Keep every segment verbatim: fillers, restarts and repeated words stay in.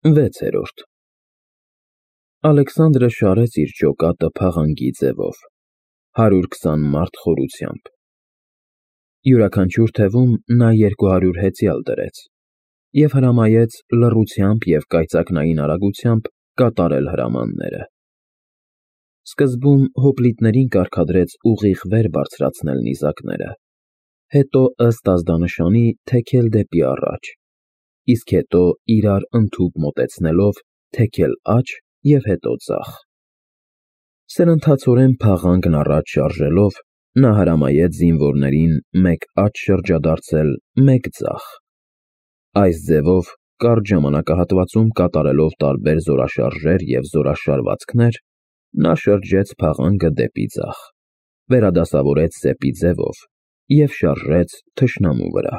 վեցերորդ Ալեքսանդրը շարեց իր ջոկատը փաղանգի ձևով, հարյուր քսան մարդ խորությամբ, յուրաքանչյուր թևում նա երկու հարյուր հեծյալ դրեց և հրամայեց լռությամբ և կայծակնային արագությամբ կատարել հրամանները. սկզբում հոպլիտներին կարգադրեց ուղիղ վեր բարձրացնել նիզակները, հետո ըստ ազդանշանի թեքել դեպի առաջ, իսկ հետո իրար ընդհուպ մոտեցնելով թեքել աջ և հետո ձախ. սրընթացորեն փաղանգն առաջ շարժելով, նա հրամայեց զինվորներին մեկ աջ շրջադարձել, մեկ ձախ. այս ձևով կարճ ժամանակահատվածում կատարելով տարբեր զորաշարժեր և զորաշարվածքներ, նա շրջեց փաղանգը դեպի ձախ, վերադասավորեց սեպի ձևով և շարժեց թշնամու վրա.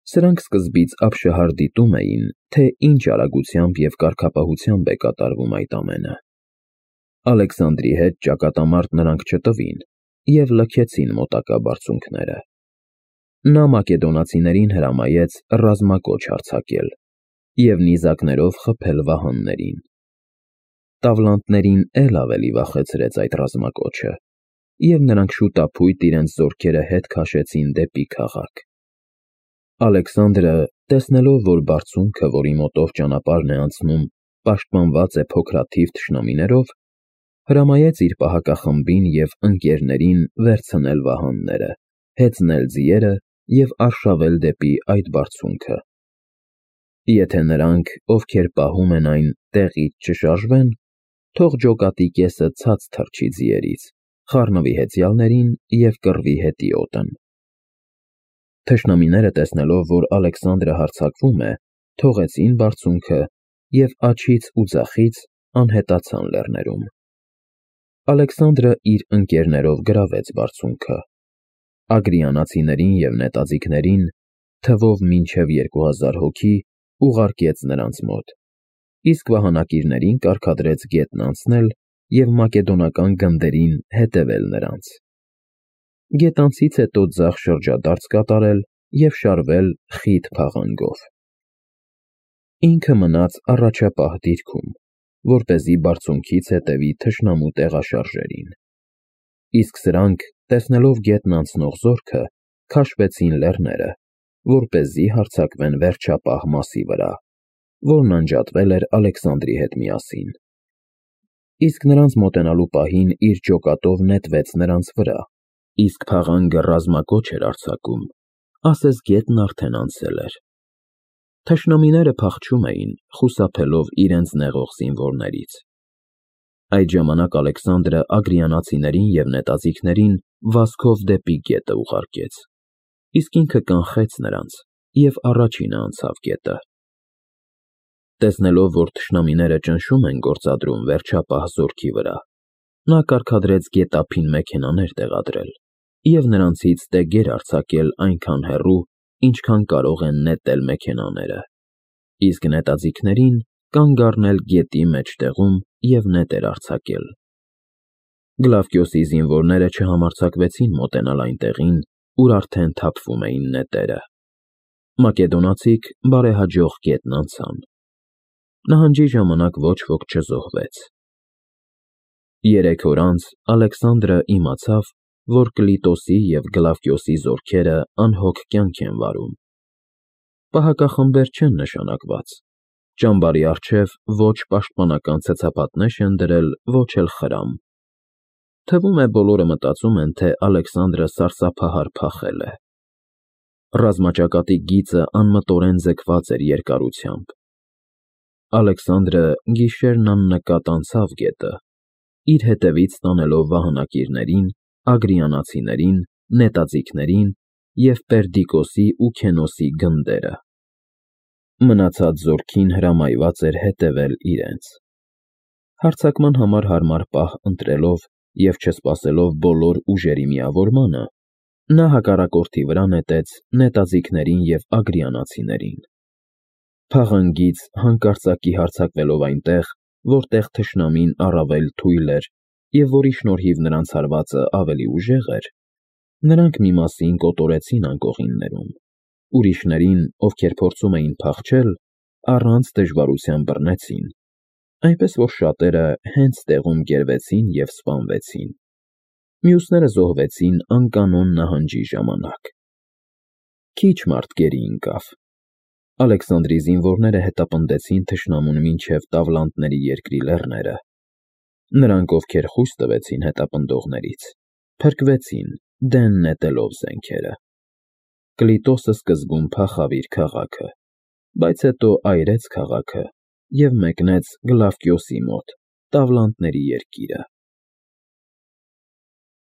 Սրանք սկզբից ապշահար դիտում էին, թե ինչ արագությամբ և կարգապահությամբ է կատարվում այդ ամենը. Ալեքսանդրի հետ ճակատամարտ նրանք չտվին և լքեցին մոտակա բարձունքները. նա մակեդոնացիներին հրամայեց ռազմակոչ հարձակել և նիզակներով խփել վահաններին. Տավլանտներին էլ ավելի վախեցրեց այդ ռազմակոչը, և նրանք շուտափույթ իրենց զորքերը հետ քաշեցին դեպի քաղաք. Ալեքսանդրը, տեսնելով, որ բարձունքը, որի մոտով ճանապարհն է անցնում, պաշտպանված է փոքրաթիվ թշնամիներով, հրամայեց իր պահակախմբին և ընկերներին վերցնել վահանները, հեծնել ձիերը և արշավել դեպի այդ բարձունքը. եթե նրանք, ովքեր պահում են այն, տեղից չշարժվեն, թող ջոկատի կեսը ցած թռչի ձիերից, խառնվի հեծյալներին և կռվի հետիոտն: Թշնամիները, տեսնելով, որ Ալեքսանդրը հարձակվում է, թողեցին բարձունքը և աջից ու ձախից անհետացան լեռներում: Ալեքսանդրը իր ընկերներով գրավեց բարձունքը, ագրիանացիներին և նետաձիգներին, թվով մինչև երկու հազար հոգի, ուղարկեց նրանց մոտ, իսկ վահանակիրներին կարգադրեց գետն անցնել և մակեդոնական գնդերին հետևել նրանց. գետանցից հետո ձախ շրջադարձ կատարել և շարվել խիտ փաղանգով: Ինքը մնաց առաջապահ դիրքում, որպեսզի բարձունքից հետևի թշնամու տեղաշարժերին: Իսկ սրանք, տեսնելով գետն անցնող զորքը, քաշվեցին լեռները, որպեսզի հարձակվեն վերջապահ մասի վրա, որն անջատվել էր Ալեքսանդրի հետ միասին: Իսկ նրանց մոտենալու պահին իր ջոկատով նետվեց նրանց վրա, իսկ փաղանգը ռազմակոչ էր արձակում, ասես գետն արդեն անցել էր: Թշնամիները փախչում էին, խուսափելով իրենց նեղող զինվորներից: Այդ ժամանակ Ալեքսանդրը ագրիանացիներին և նետաձիգներին վազքով դեպի գետը ուղարկեց, իսկ ինքը կանխեց նրանց և առաջինը անցավ գետը: Տեսնելով, որ թշնամիները ճնշում են գործադրում վերջապահ զորքի վրա, նա կարգադրեց գետափին մեքենաներ տեղադրել և նրանցից տեգեր արձակել այնքան հեռու, ինչքան կարող են նետել մեքենաները, իսկ նետաձիգներին կանգ առնել գետի մեջտեղում և նետեր արձակել: Գլավկիոսի զինվորները չհամարձակվեցին մոտենալ այն տեղին, ուր արդեն թափվում էին նետերը: Մակեդոնացիք բարեհաջող գետն անցան: Նահանջի ժամանակ ոչ ոք չզոհվեց: Երեք օր անց Ալեքսանդրը իմացավ, որ Կլիտոսի և Գլավկիոսի զորքերը անհոգ կյանք են վարում: Պահակախմբեր չեն նշանակված, ճամբարի առջև ոչ պաշտպանական ցցապատներ են դրել, ոչ էլ խրամ: Թվում է, բոլորը մտածում են, թե Ալեքսանդրը սարսափահար փախել է: Ռազմաճակատի գիծը անմտորեն ձգված էր երկարությամբ: Ալեքսանդրը գիշերն աննկատ անցավ գետը, իր հետևից տանելով վահանակիրներին, ագրիանացիներին, նետաձիգներին և Պերդիկոսի ու Քենոսի գնդերը: Մնացած զորքին հրամայված էր հետևել իրենց: Հարձակման համար հարմար պահ ընտրելով և չսպասելով բոլոր ուժերի միավորմանը, նա հակառակորդի վրա նետեց նետաձիգներին և ագրիանացիներին: Փաղանգից հանկարծակի հարձակվելով այնտեղ, որտեղ թշնամին առավել թույլ էր և որի շնորհիվ նրանց հարվածը ավելի ուժեղ էր, նրանք մի մասին կոտորեցին անկողիններում, ուրիշներին, ովքեր փորձում էին փախչել, առանց դժվարության բռնեցին, այնպես որ շատերը հենց տեղում գերվեցին և սպանվեցին, մյուսները զոհվեցին անկանոն նահանջի ժամանակ։ Քիչ մարդ գերի ընկավ։ Ալեքսանդրի զինվորները հետապնդեցին թշնամուն մինչև Տավլանդների երկրի լեռները։ Նրանք, ովքեր խույս տվեցին հետապնդողներից, փրկվեցին, դեն նետելով զենքերը։ Կլիտոսը սկզբում փախավ իր քաղաքը, բայց հետո այրեց քաղաքը և մեկնեց Գլավկիոսի մոտ, Տավլանդների երկիրը։